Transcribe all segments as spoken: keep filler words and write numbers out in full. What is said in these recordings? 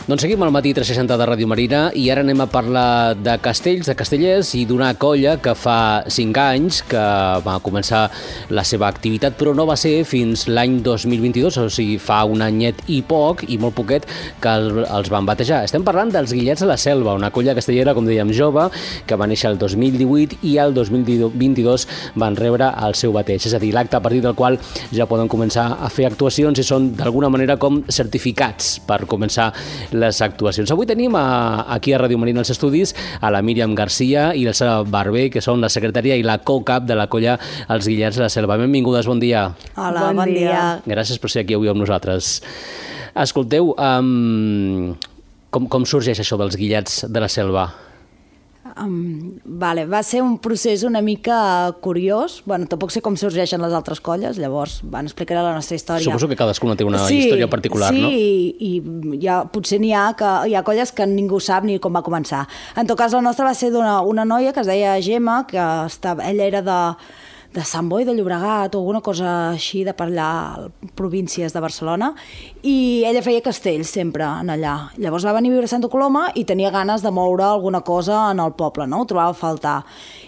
Doncs seguim al matí tres seixanta de Ràdio Marina i ara anem a parlar de castells, de castellers i d'una colla que fa cinc anys que va començar la seva activitat, però no va ser fins l'any dos mil vint-i-dos, o sigui, fa un anyet i poc, i molt poquet, que els van batejar. Estem parlant dels Guillets de la Selva, una colla castellera, com dèiem, jove, que va néixer el dos mil divuit i el dos mil vint-i-dos van rebre el seu bateig, és a dir, l'acte a partir del qual ja poden començar a fer actuacions i són d'alguna manera com certificats per començar les actuacions. Avui tenim a, aquí a Ràdio Marina als estudis a la Míriam Garcia i l'Elsa Barber, que són la secretària i la co-cap de la colla Els Guillets de la Selva. Benvingudes, bon dia. Hola, bon, bon dia. dia. Gràcies per ser aquí avui amb nosaltres. Escolteu, um, com, com sorgeix això dels Guillets de la Selva? Um, vale, va ser un procés una mica curiós. Bueno, tampoc sé com sorgeixen les altres colles, llavors van explicar la nostra història. Suposo que cadascuna té una sí, història particular, sí, no? Sí, i, i ja, potser n'hi ha, que, hi ha colles que ningú sap ni com va començar. En tot cas, la nostra va ser d'una una noia que es deia Gemma, que estava, ella era de... de Sant Boi de Llobregat o alguna cosa així de per allà, províncies de Barcelona, i ella feia castells sempre en allà. Llavors va venir a viure a Santa Coloma i tenia ganes de moure alguna cosa en el poble, no? Ho trobava a faltar.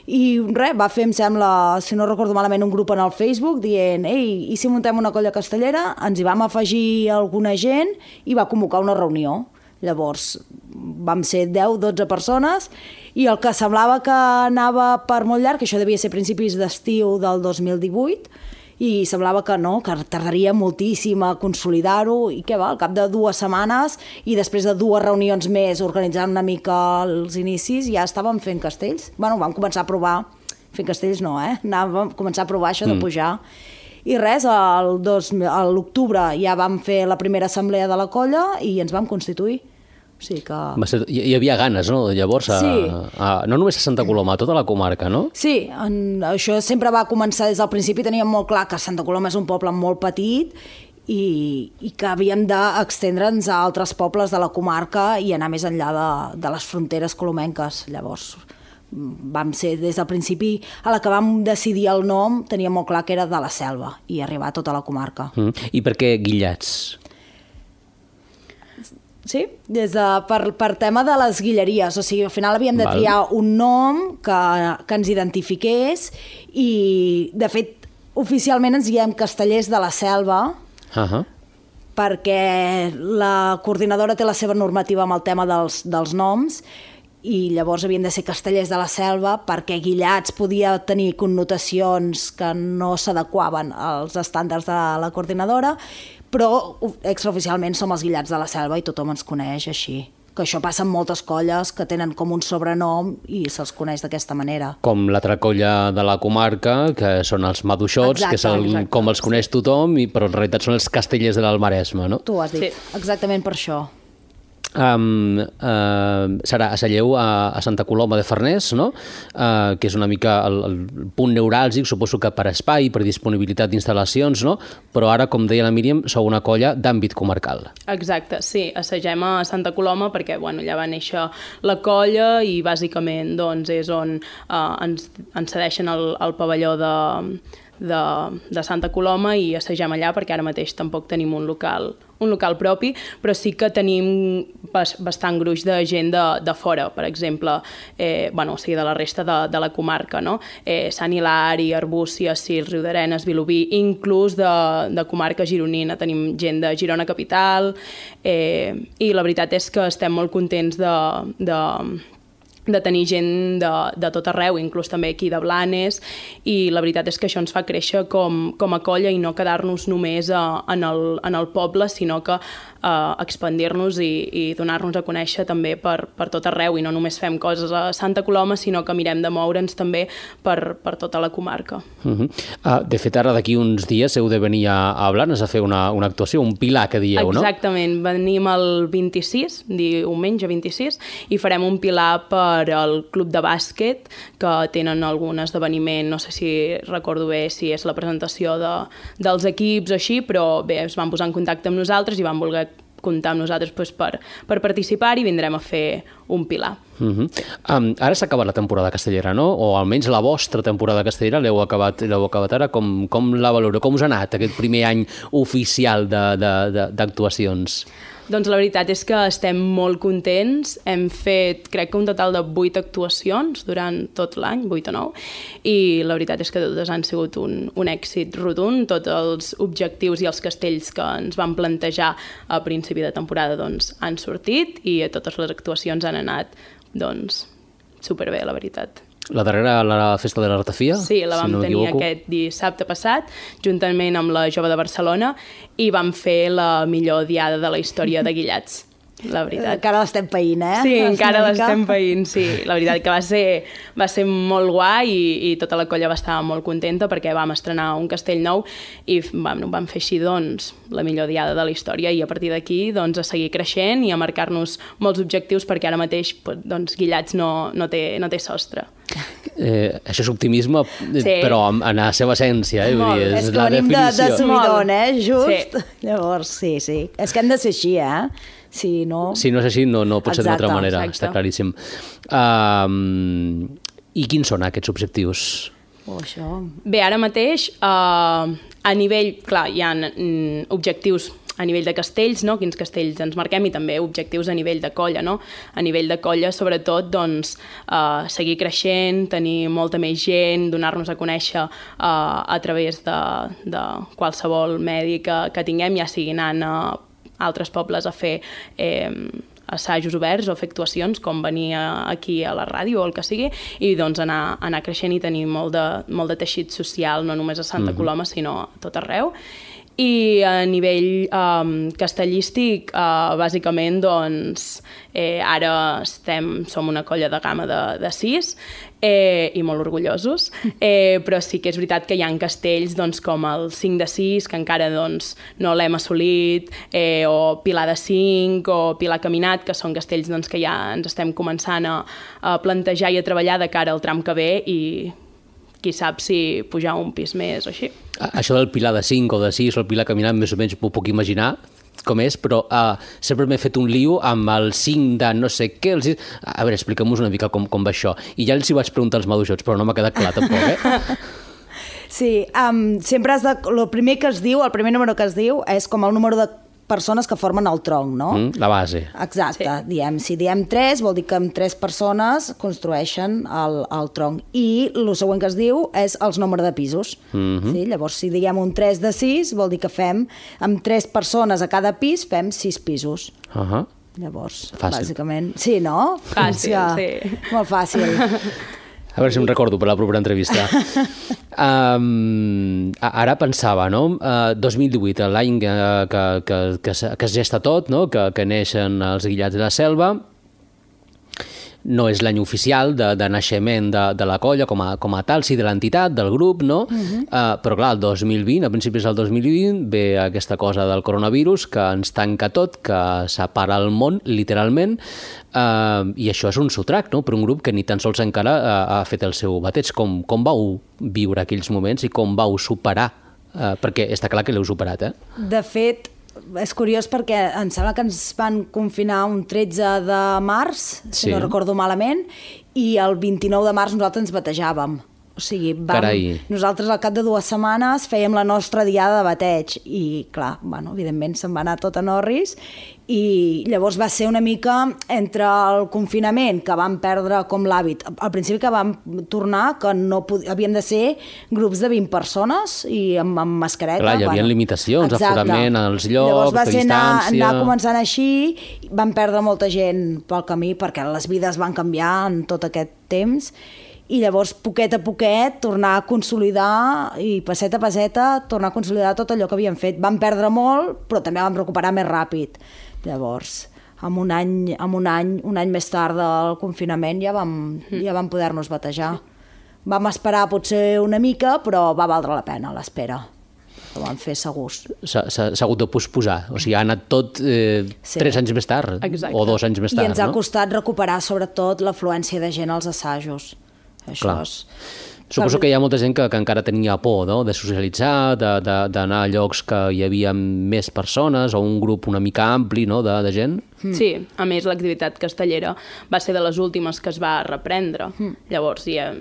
I res, va fer, em sembla, si no recordo malament, un grup en el Facebook dient, ei, i si muntem una colla castellera? Ens hi vam afegir alguna gent i va convocar una reunió. Llavors vam ser deu dotze persones i el que semblava que anava per molt llarg, que això devia ser principis d'estiu del dos mil divuit, i semblava que no, que tardaria moltíssim a consolidar-ho, i què va, al cap de dues setmanes i després de dues reunions més organitzant una mica els inicis, ja estàvem fent castells. Bueno, vam començar a provar, fent castells no, eh? Anàvem a començar a provar això de pujar. I res, a l'octubre ja vam fer la primera assemblea de la colla i ens vam constituir. O sigui que... Va ser, hi, hi havia ganes, no?, llavors, a, sí. a, no només a Santa Coloma, a tota la comarca, no? Sí, en, això sempre va començar des del principi, teníem molt clar que Santa Coloma és un poble molt petit i, i que havíem d'extendre'ns a altres pobles de la comarca i anar més enllà de, de les fronteres colomenques. Llavors vam ser des del principi, a la que vam decidir el nom, teníem molt clar que era de la Selva i arribar a tota la comarca. Mm. I per què Guillets? Sí, des de, per, per tema de les guilleries, o sigui, al final havíem de triar Val. un nom que, que ens identifiqués i, de fet, oficialment ens diem Castellers de la Selva, uh-huh. perquè la coordinadora té la seva normativa amb el tema dels, dels noms i llavors havien de ser Castellers de la Selva perquè Guillats podia tenir connotacions que no s'adequaven als estàndards de la coordinadora, però extraoficialment som els Guillats de la Selva i tothom ens coneix així. Que això passa en moltes colles que tenen com un sobrenom i se'ls coneix d'aquesta manera. Com l'altra colla de la comarca, que són els Maduixots, exacte, que és el, exacte, com els coneix tothom, i, però en realitat són els Castellers de l'Almaresme, no? Tu ho has dit, sí. Exactament per això. Um, uh, serà a Salleu, a, a Santa Coloma de Farners, no? Uh, que és una mica el, el punt neuràlgic, suposo que per espai, per disponibilitat d'instal·lacions, no? Però ara, com deia la Míriam, sou una colla d'àmbit comarcal. Exacte, sí, assagem a Santa Coloma perquè bueno, ja va néixer la colla i bàsicament doncs, és on uh, ens, ens cedeixen el, el pavelló de, de, de Santa Coloma i assagem allà perquè ara mateix tampoc tenim un local un local propi, però sí que tenim bastant gruix de gent de, de fora, per exemple, eh, bueno, o sigui, de la resta de, de la comarca, no? Eh, Sant Hilari, Arbúcies, Sils, Riudarenes, Vilobí, inclús de, de comarca gironina, tenim gent de Girona Capital, eh, i la veritat és que estem molt contents de... de de tenir gent de, de tot arreu, inclús també aquí de Blanes, i la veritat és que això ens fa créixer com, com a colla i no quedar-nos només a, en, el, en el poble, sinó que a expandir-nos i, i donar-nos a conèixer també per, per tot arreu, i no només fem coses a Santa Coloma, sinó que mirem de moure'ns també per, per tota la comarca. Uh -huh. uh, de fet, ara d'aquí uns dies heu de venir a, a Blanes a fer una, una actuació, un pilar que dieu, no? Exactament, venim el vint-i-sis, diumenge vint-i-sis, i farem un pilar per al club de bàsquet, que tenen algun esdeveniment, no sé si recordo bé si és la presentació de, dels equips o així, però bé, es van posar en contacte amb nosaltres i van voler comptar amb nosaltres doncs, per, per participar i vindrem a fer un pilar. Uh -huh. um, ara s'ha acabat la temporada castellera, no? O almenys la vostra temporada castellera l'heu acabat, l'heu acabat ara. Com, com la valoreu? Com us ha anat aquest primer any oficial d'actuacions? Doncs la veritat és que estem molt contents. Hem fet, crec que un total de vuit actuacions durant tot l'any, vuit o nou, i la veritat és que totes han sigut un, un èxit rotund. Tots els objectius i els castells que ens vam plantejar a principi de temporada doncs, han sortit i totes les actuacions han anat doncs, superbé, la veritat. La darrera, la festa de la ratafia? Sí, la vam si no tenir equivoco. aquest dissabte passat, juntament amb la Jove de Barcelona, i vam fer la millor diada de la història de Guillats, la veritat. Encara l'estem païnt, eh? Sí, encara l'estem païnt, sí. La veritat que va ser, va ser molt guai i, i tota la colla va estar molt contenta perquè vam estrenar un castell nou i vam, vam fer així, doncs, la millor diada de la història i a partir d'aquí, doncs, a seguir creixent i a marcar-nos molts objectius perquè ara mateix, doncs, Guillats no, no, té, no té sostre. Eh, això és optimisme, Sí. però en, en la seva essència, eh? Vull Molt. dir, És que la venim de, de definició. subidon, eh? Just. Sí. Llavors, sí, sí. És que hem de ser així, eh? Si no... Si no és així, no, no pot ser d'una altra Exacte, manera, exacte. està claríssim. Um, I quins són aquests objectius? Oh, això... Bé, ara mateix, eh, a nivell, clar, hi ha mm, objectius a nivell de castells, no? Quins castells ens marquem i també objectius a nivell de colla, no? A nivell de colla, sobretot, doncs, eh, seguir creixent, tenir molta més gent, donar-nos a conèixer eh, a través de, de qualsevol medi que, que tinguem, ja sigui anant a altres pobles a fer eh, assajos oberts o fer actuacions, com venir aquí a la ràdio o el que sigui, i doncs anar, anar creixent i tenir molt de, molt de teixit social, no només a Santa Mhm. Coloma, sinó a tot arreu. I a nivell um, castellístic, uh, bàsicament, doncs, eh, ara estem, som una colla de gamma de, de sis eh, i molt orgullosos, eh, però sí que és veritat que hi ha castells doncs, com el cinc de sis, que encara doncs, no l'hem assolit, eh, o Pilar de cinc, o Pilar Caminat, que són castells doncs, que ja ens estem començant a, a plantejar i a treballar de cara al tram que ve i qui sap si pujar un pis més o així. A- Això del Pilar de cinc o de sis o el Pilar caminant, més o menys m'ho puc imaginar com és, però uh, sempre m'he fet un lío amb el cinc de no sé què, el sis... A veure, explica'm-nos una mica com, com va això. I ja els hi vaig preguntar als maduixots, però no m'ha quedat clar tampoc, eh? Sí, um, sempre has de... El primer que es diu, el primer número que es diu és com el número de persones que formen el tronc, no? Mm, la base. Exacte, Sí. diem, si diem tres, vol dir que amb tres persones construeixen el, el tronc. I el següent que es diu és els números de pisos. Mhm. Sí? Llavors, si diem un tres de sis, vol dir que fem, amb tres persones a cada pis, fem sis pisos. Uh -huh. Llavors, Fàcil. bàsicament... Sí, no? Fàcil, Sí. sí. Molt fàcil. A veure si em recordo per la propera entrevista. um, ara pensava, no? Uh, dos mil divuit, l'any que, que, que, que, es- que es gesta tot, no? que, que neixen els Guillats de la Selva. No és l'any oficial de, de naixement de, de la colla com a, com a tal, sí, de l'entitat, del grup, no? Uh-huh. uh, però clar, el dos mil vint, a principis del dos mil vint, ve aquesta cosa del coronavirus que ens tanca tot, que separa el món, literalment, uh, i això és un sotrac, no?, per un grup que ni tan sols encara uh, ha fet el seu bateig. Com, com vau viure aquells moments i com vau superar? Uh, perquè està clar que l'heu superat, eh? De fet, és curiós perquè em sembla que ens van confinar un tretze de març, si Sí. no recordo malament, i el vint-i-nou de març nosaltres ens batejàvem. O sigui, vam, Carai. nosaltres al cap de dues setmanes fèiem la nostra diada de bateig i, clar, bueno, evidentment se'n va anar tot a Norris i llavors va ser una mica entre el confinament, que vam perdre com l'hàbit. Al principi que vam tornar, que no pod... havíem de ser grups de vint persones i amb, amb mascareta. Clar, hi havia limitacions, exacte. aforament als llocs, Llavors va de ser anar, distància. anar començant així, vam perdre molta gent pel camí perquè les vides van canviar en tot aquest temps i llavors, poquet a poquet, tornar a consolidar i passet a passeta, tornar a consolidar tot allò que havíem fet. Vam perdre molt, però també vam recuperar més ràpid. Llavors, amb un any, amb un any, un any més tard del confinament ja vam, ja vam poder-nos batejar. Vam esperar potser una mica, però va valdre la pena l'espera. Ho vam fer segurs. S'ha s'ha- s'ha hagut de posposar, o sigui, ha anat tot eh, Sí. tres anys més tard, Exacte. o dos anys més I tard, ens ha no? costat recuperar sobretot l'afluència de gent als assajos. Això Clar. és... Suposo que hi ha molta gent que, que encara tenia por, no?, de socialitzar, de- de- d'anar a llocs que hi havia més persones o un grup una mica ampli, no?, de, de gent. Sí, a més l'activitat castellera va ser de les últimes que es va reprendre. Mm. Llavors ja,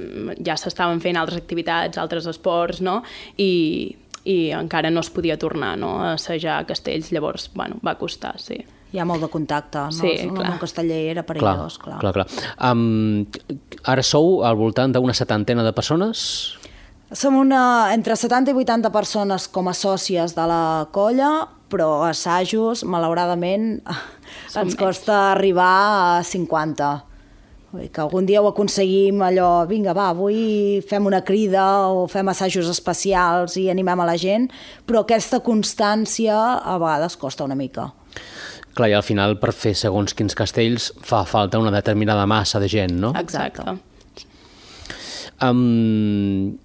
ja s'estaven fent altres activitats, altres esports, no? I, i encara no es podia tornar, no?, a assajar castells. Llavors, bueno, va costar, sí. hi ha molt de contacte. No? Sí, el clar. món casteller era perillós, clar. clar, clar. Um, ara sou al voltant d'una setantena de persones? Som una, entre setanta i vuitanta persones com a sòcies de la colla, però assajos, malauradament, Som ens costa arribar a cinquanta. Vull dir que algun dia ho aconseguim, allò, vinga, va, avui fem una crida o fem assajos especials i animem a la gent, però aquesta constància a vegades costa una mica. Clar, i al final per fer segons quins castells fa falta una determinada massa de gent, no? Exacte. Um,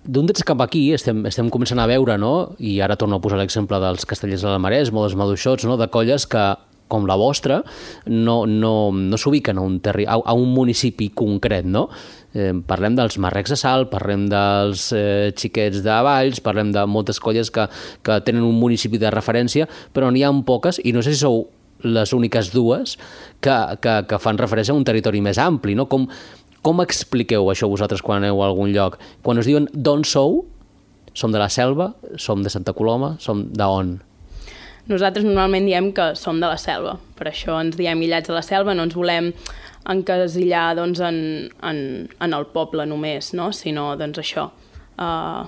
D'un temps cap aquí estem, estem començant a veure, no? I ara torno a posar l'exemple dels castellers de la Maresma o dels maduixots, no? De colles que, com la vostra, no, no, no s'ubiquen a, un terri a, a un municipi concret, no? Eh, parlem dels marrecs de Salt, parlem dels eh, xiquets de Valls, parlem de moltes colles que, que tenen un municipi de referència, però n'hi ha poques, i no sé si sou les úniques dues que, que, que fan referència a un territori més ampli, no? Com, com expliqueu això vosaltres quan aneu a algun lloc? Quan us diuen d'on sou, som de la Selva, som de Santa Coloma, som d'on? Nosaltres normalment diem que som de la Selva, per això ens diem Guillats de la Selva, no ens volem encasillar doncs, en, en, en el poble només, no? Sinó doncs, això, uh,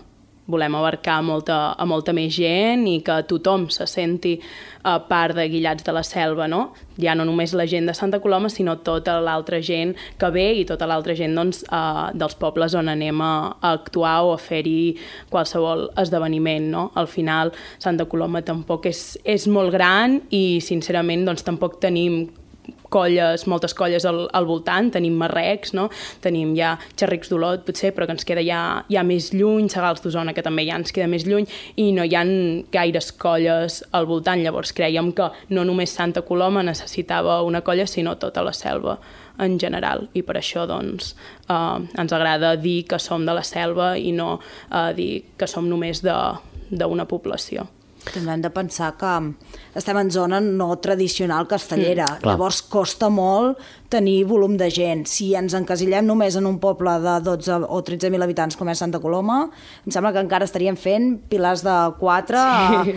volem abarcar molta, a molta més gent i que tothom se senti uh, part de Guillats de la Selva, no? Ja no només la gent de Santa Coloma, sinó tota l'altra gent que ve i tota l'altra gent doncs, uh, dels pobles on anem a, a actuar o a fer-hi qualsevol esdeveniment, no? Al final, Santa Coloma tampoc és, és molt gran i, sincerament, doncs, tampoc tenim colles, moltes colles al, al voltant, tenim marrecs, no? Tenim ja Xerrics d'Olot, potser, però que ens queda ja, ja més lluny, Segals d'Osona, que també ja ens queda més lluny, i no hi ha gaires colles al voltant. Llavors crèiem que no només Santa Coloma necessitava una colla, sinó tota la Selva en general, i per això doncs, eh, ens agrada dir que som de la Selva i no eh, dir que som només d'una població. També hem de pensar que estem en zona no tradicional castellera, mm, llavors costa molt tenir volum de gent. Si ens encasillem només en un poble de dotze o tretze mil habitants com és Santa Coloma, em sembla que encara estaríem fent pilars de quatre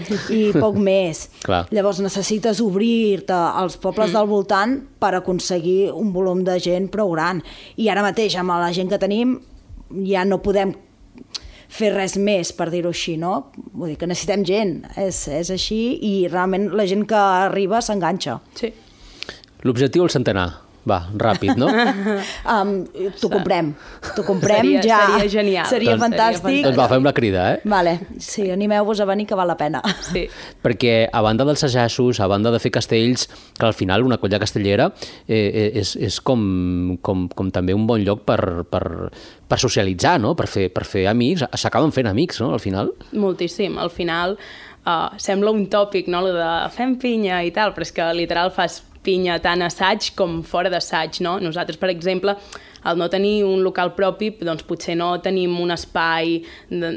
sí. i poc més. Clar. Llavors necessites obrir-te als pobles mm. del voltant per aconseguir un volum de gent prou gran. I ara mateix, amb la gent que tenim, ja no podem fer res més, per dir-ho així, no? Vull dir que necessitem gent, és, és així, i realment la gent que arriba s'enganxa. Sí. L'objectiu el centenar. Va, ràpid, no? um, T'ho comprem. T'ho comprem seria, ja. Seria genial. Seria doncs, fantàstic. Seria doncs va, fem la crida, eh? Vale, sí, animeu-vos a venir que val la pena. Sí. Perquè a banda dels assajos, a banda de fer castells, que al final una colla castellera eh, és, és com, com, com també un bon lloc per, per, per socialitzar, no? Per fer, per fer amics. S'acaben fent amics, no? Al final. Moltíssim. Al final uh, sembla un tòpic, no? Lo de fem pinya i tal, però és que literal fas pinya tant assaig com fora d'assaig, no? Nosaltres, per exemple, al no tenir un local propi, doncs potser no tenim un espai de,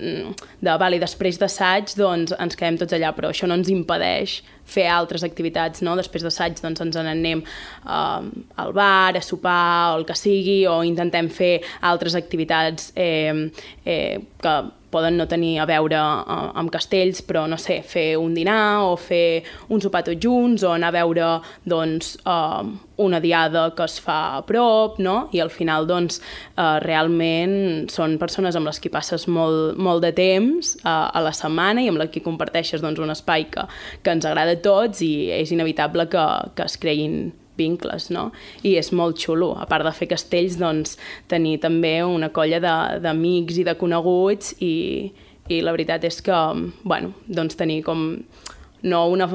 de vale, després d'assaig, doncs ens quedem tots allà, però això no ens impedeix fer altres activitats, no? Després d'assaig doncs ens n'anem uh, al bar, a sopar, o el que sigui, o intentem fer altres activitats eh, eh, que poden no tenir a veure uh, amb castells, però no sé, fer un dinar o fer un sopar tots junts o anar a veure doncs, uh, una diada que es fa a prop, no? I al final doncs, uh, realment són persones amb les que passes molt, molt de temps uh, a la setmana i amb les que comparteixes doncs, un espai que, que ens agrada a tots i és inevitable que, que es creïn vincles, no? I és molt xulo. A part de fer castells, doncs, tenir també una colla d'amics i de coneguts i, i la veritat és que, bueno, doncs tenir com no una,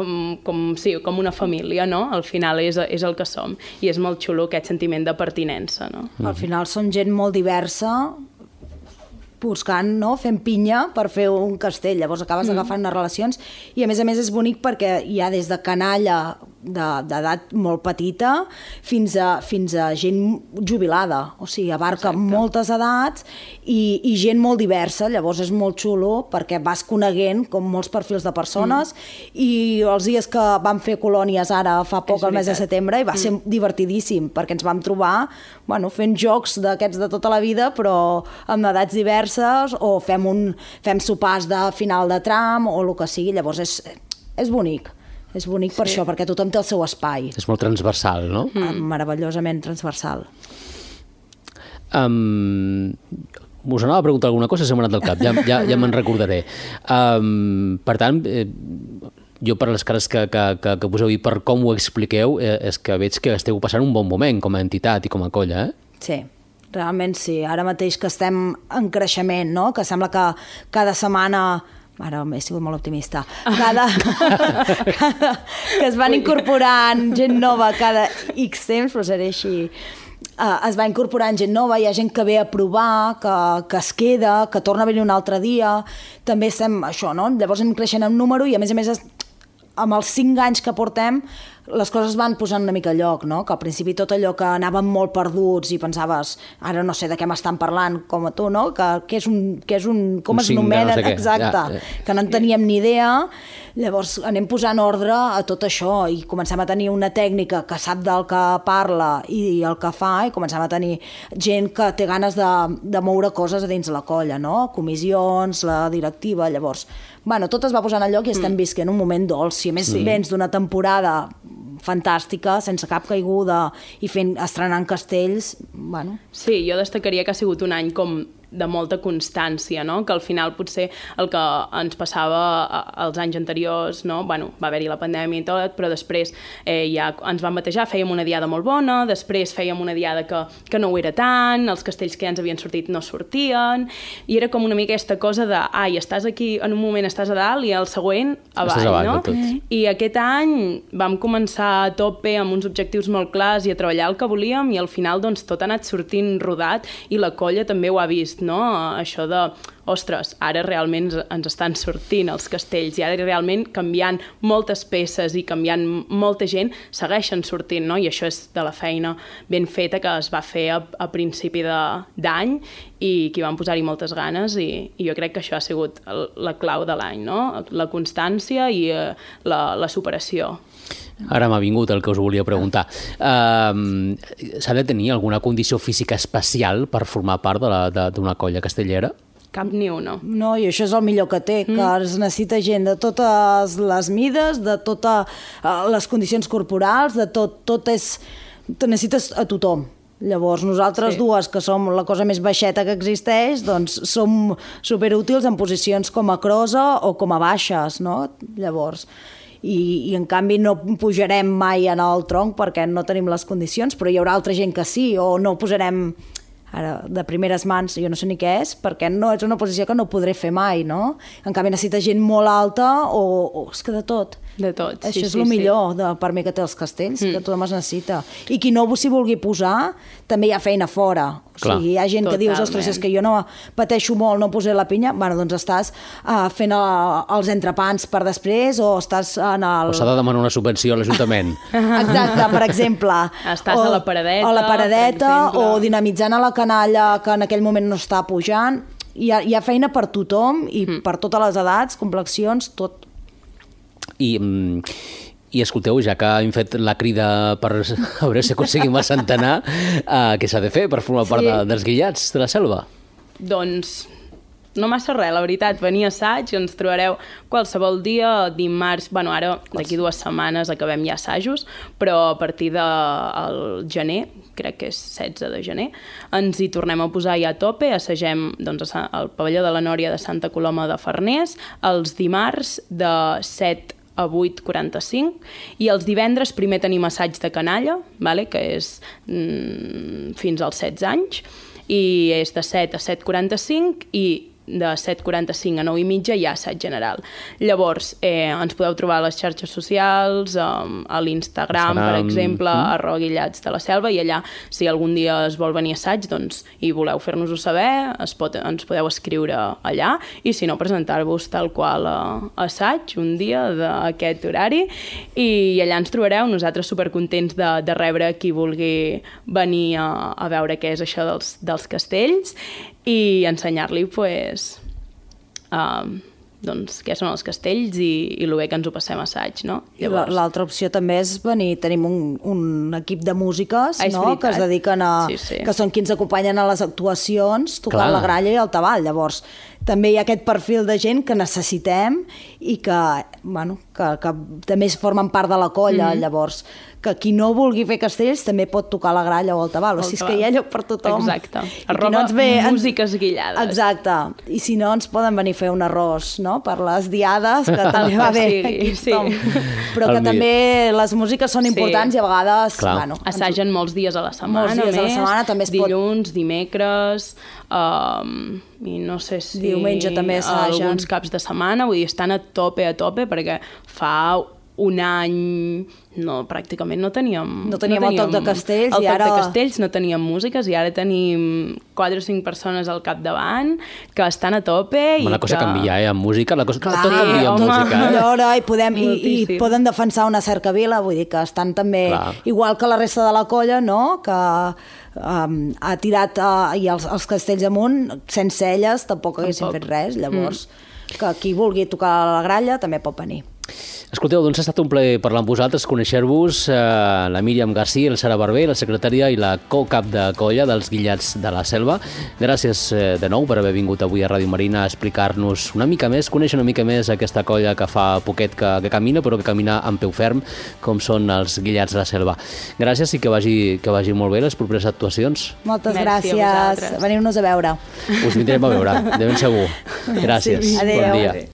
com, sí, com una família, no? Al final és, és el que som. I és molt xulo aquest sentiment de pertinença, no? Mm-hmm. Al final som gent molt diversa, buscant, no? Fent pinya per fer un castell. Llavors acabes mm. agafant unes relacions i a més a més és bonic perquè hi ha des de canalla d'edat molt petita fins a, fins a gent jubilada, o sigui, abarca Exacte. moltes edats i, i gent molt diversa, llavors és molt xulo perquè vas coneguent com molts perfils de persones mm. i els dies que vam fer colònies ara fa poc, al mes de setembre, i va mm. ser divertidíssim perquè ens vam trobar bueno, fent jocs d'aquests de tota la vida però amb edats diverses o fem, un, fem sopars de final de tram o el que sigui, llavors és, és bonic. És bonic per sí. això, perquè tothom té el seu espai. És molt transversal, no? Mm. Meravellosament transversal. Um, us anava a preguntar alguna cosa, se m'ha anat del cap, ja, ja, ja me'n recordaré. Um, per tant, eh, jo per les cares que, que, que, que poseu i per com ho expliqueu, eh, és que veig que esteu passant un bon moment com a entitat i com a colla, eh? Sí, realment sí. Ara mateix que estem en creixement, no? Que sembla que cada setmana... Ara he sigut molt optimista. Cada, cada, que es van incorporant gent nova cada X temps, però seré així... Uh, es va incorporant gent nova, hi ha gent que ve a provar, que, que es queda, que torna a venir un altre dia. També estem, això, no? Llavors anem creixent en número i, a més a més, es, amb els cinc anys que portem, les coses van posant una mica a lloc, no? Que al principi tot allò que anàvem molt perduts i pensaves, ara no sé de què m'estan parlant, com a tu, no? Que, que és un... Que és un com un es nomenen? No sé exacte. Ja, ja. Que no en teníem ni idea. Llavors anem posant ordre a tot això i comencem a tenir una tècnica que sap del que parla i el que fa, i comencem a tenir gent que té ganes de, de moure coses a dins la colla, no? Comissions, la directiva, llavors... Bueno, tot es va posant a lloc i estem visquent un moment dolç. Si a més sí. vens d'una temporada fantàstica, sense cap caiguda i fent, estrenant castells, bueno... Sí, jo destacaria que ha sigut un any com de molta constància, no? Que al final potser el que ens passava als anys anteriors, no? Bueno, va haver-hi la pandèmia i tot, però després eh, ja ens vam batejar, fèiem una diada molt bona, després fèiem una diada que, que no ho era tant, els castells que ja ens havien sortit no sortien, i era com una mica aquesta cosa de, ai, estàs aquí, en un moment estàs a dalt i el següent avall, avall no? Mm. I aquest any vam començar a tope amb uns objectius molt clars i a treballar el que volíem, i al final doncs tot ha anat sortint rodat i la colla també ho ha vist, no? Això de, ostres, ara realment ens estan sortint els castells i ara realment canviant moltes peces i canviant molta gent segueixen sortint, no? I això és de la feina ben feta que es va fer a, a principi d'any i que hi van posar-hi moltes ganes i, i jo crec que això ha sigut la clau de l'any, no? La constància i eh, la, la superació. Ara m'ha vingut el que us volia preguntar. Uh, S'ha de tenir alguna condició física especial per formar part d'una colla castellera? Cap ni una. No, i això és el millor que té, mm. que es necessita gent de totes les mides, de totes les condicions corporals, de tot, tot és... Necessites a tothom. Llavors, nosaltres sí. dues, que som la cosa més baixeta que existeix, doncs som superútils en posicions com a crosa o com a baixes, no? Llavors... I, i en canvi no pujarem mai en el tronc perquè no tenim les condicions, però hi haurà altra gent que sí, o no posarem ara de primeres mans, jo no sé ni què és, perquè no és una posició que no podré fer mai, no? En canvi necessita gent molt alta o, o és que de tot. De tot, Això sí, és sí, el millor sí. de, per mi que té els castells, mm. que tothom es necessita. I qui no s'hi vulgui posar, també hi ha feina fora. Clar. O sigui, hi ha gent Totalment. que dius, ostres, és que jo no pateixo molt, no posé la pinya, bueno, doncs estàs uh, fent uh, els entrepans per després o estàs en el... O s'ha de demanar una subvenció a l'Ajuntament. Exacte, per exemple. Estàs o, a la paradeta, a la paradeta o dinamitzant a la canalla que en aquell moment no està pujant. Hi ha, hi ha feina per tothom i mm. per totes les edats, complexions, tot. I, i escolteu, ja que hem fet la crida per a veure si aconseguim el centenar, uh, què s'ha de fer per formar sí. part de, dels Guillats de la Selva? Doncs no massa res, la veritat, venir a assaig, ens trobareu qualsevol dia, dimarts, bueno, ara d'aquí dues setmanes acabem ja assajos, però a partir del gener, crec que és setze de gener, ens hi tornem a posar ja a tope, assagem doncs, al pavelló de la Nòria de Santa Coloma de Farners, els dimarts de set a vuit quaranta-cinc i els divendres primer tenim assaig de canalla, vale? Que és mm, fins als setze anys, i és de set a set quaranta-cinc i de set quaranta-cinc a nou i mitja hi ha assaig general. Llavors, eh, ens podeu trobar a les xarxes socials, um, a l'Instagram, per exemple, mm. arroba Guillats de la Selva, i allà, si algun dia es vol venir a assaig, doncs, i voleu fer-nos-ho saber, es pot, ens podeu escriure allà, i si no, presentar-vos tal qual a, a assaig, un dia d'aquest horari, i allà ens trobareu, nosaltres supercontents de, de rebre qui vulgui venir a, a veure què és això dels, dels castells, i ensenyar-li pues, uh, doncs, què són els castells i, i el bé que ens ho passem a assaig, no? Llavors... L'altra opció també és venir, tenim un, un equip de músiques, ah, no? Que es dediquen a... Sí, sí. que són qui ens acompanyen a les actuacions, tocant Clar. la gralla i el tabal. Llavors, també hi ha aquest perfil de gent que necessitem i que, bueno, que, que també formen part de la colla, Mm-hmm. llavors que qui no vulgui fer castells també pot tocar la gralla o el tabal, o sigui, és que hi ha lloc per tothom. Exacte. I qui Arroba no ens ve, músiques guillades. Exacte. I si no, ens poden venir a fer un arròs, no?, per les diades, que també va bé. Sí, Aquí sí. tothom. Però que El també les músiques són importants Sí. i a vegades... Clar. Bueno, Assagen molts dies a la setmana, Molts dies a la més, setmana, també es pot- dilluns, dimecres, um, i no sé si... Diumenge també assagen. Alguns caps de setmana, vull dir, estan a tope, a tope, perquè fa un any no, pràcticament no teníem... No teníem el toc de castells el i ara- El toc de castells, no teníem músiques i ara tenim quatre o cinc persones al capdavant que estan a tope i Home, la cosa que... canvia, eh? Amb música, la cosa... Clar, tot canvia amb home. música, eh? Allora, i, podem, i, i Moltíssim. poden defensar una cercavila, vull dir que estan també, Clar. igual que la resta de la colla, no?, que um, ha tirat uh, i els, els castells amunt, sense elles tampoc haguessin Tampoc. fet res, llavors mm. que qui vulgui tocar la gralla també pot venir. Escolteu, doncs ha estat un plaer parlar amb vosaltres, conèixer-vos, eh, la Míriam García, el Sara Barber, la secretària i la co-cap de colla dels Guillats de la Selva. Gràcies eh, de nou per haver vingut avui a Ràdio Marina a explicar-nos una mica més, conèixer una mica més aquesta colla que fa poquet que, que camina, però que camina amb peu ferm, com són els Guillats de la Selva. Gràcies i que vagi, que vagi molt bé les properes actuacions. Moltes Merci a gràcies. vosaltres. Veniu-nos a veure. Us vindrem a veure, de ben segur. Gràcies. Sí. Adéu. Bon dia.